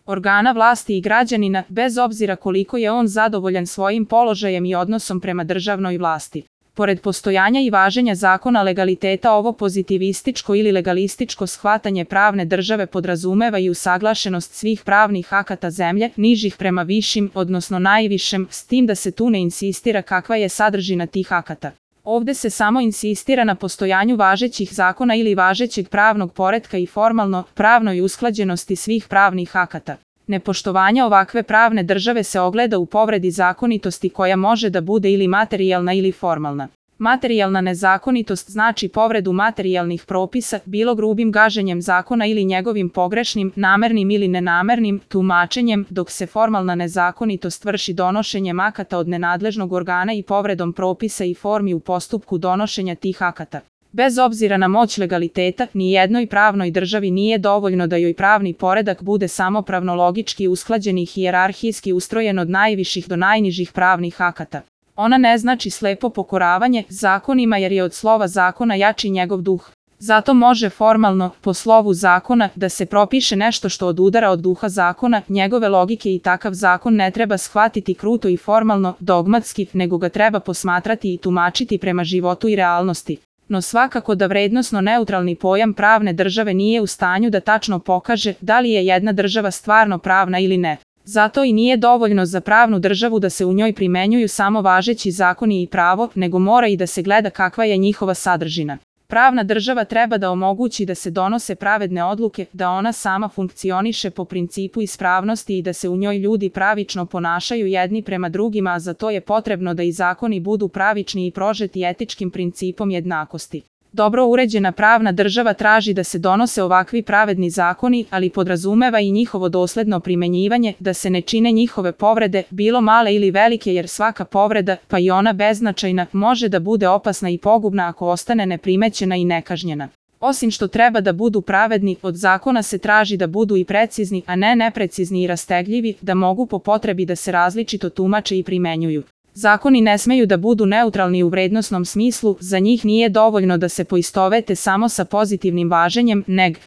organa vlasti i građanina, bez obzira koliko je on zadovoljan svojim položajem i odnosom prema državnoj vlasti. Pored postojanja i važenja zakona legaliteta, ovo pozitivističko ili legalističko shvatanje pravne države podrazumeva i usaglašenost svih pravnih akata zemlje, nižih prema višim, odnosno najvišem, s tim da se tu ne insistira kakva je sadržina tih akata. Ovde se samo insistira na postojanju važećih zakona ili važećeg pravnog poretka i formalno pravnoj usklađenosti svih pravnih akata. Nepoštovanje ovakve pravne države se ogleda u povredi zakonitosti koja može da bude ili materijalna ili formalna. Materijalna nezakonitost znači povredu materijalnih propisa, bilo grubim gaženjem zakona ili njegovim pogrešnim, namernim ili nenamernim tumačenjem, dok se formalna nezakonitost vrši donošenjem akata od nenadležnog organa i povredom propisa i formi u postupku donošenja tih akata. Bez obzira na moć legaliteta, ni jednoj pravnoj državi nije dovoljno da joj pravni poredak bude samo pravno-logički usklađen i hijerarhijski ustrojen od najviših do najnižih pravnih akata. Ona ne znači slepo pokoravanje zakonima jer je od slova zakona jači njegov duh. Zato može formalno, po slovu zakona, da se propiše nešto što odudara od duha zakona, njegove logike i takav zakon ne treba shvatiti kruto i formalno, dogmatski, nego ga treba posmatrati i tumačiti prema životu i realnosti. No svakako da vrednosno neutralni pojam pravne države nije u stanju da tačno pokaže da li je jedna država stvarno pravna ili ne. Zato i nije dovoljno za pravnu državu da se u njoj primenjuju samo važeći zakoni i pravo, nego mora i da se gleda kakva je njihova sadržina. Pravna država treba da omogući da se donose pravedne odluke, da ona sama funkcioniše po principu ispravnosti i da se u njoj ljudi pravično ponašaju jedni prema drugima, a za to je potrebno da i zakoni budu pravični i prožeti etičkim principom jednakosti. Dobro uređena pravna država traži da se donose ovakvi pravedni zakoni, ali podrazumeva i njihovo dosledno primenjivanje, da se ne čine njihove povrede, bilo male ili velike, jer svaka povreda, pa i ona beznačajna, može da bude opasna i pogubna ako ostane neprimećena i nekažnjena. Osim što treba da budu pravedni, od zakona se traži da budu i precizni, a ne neprecizni i rastegljivi, da mogu po potrebi da se različito tumače i primenjuju. Zakoni ne smeju da budu neutralni u vrednosnom smislu, za njih nije dovoljno da se poistovete samo sa pozitivnim važenjem, neg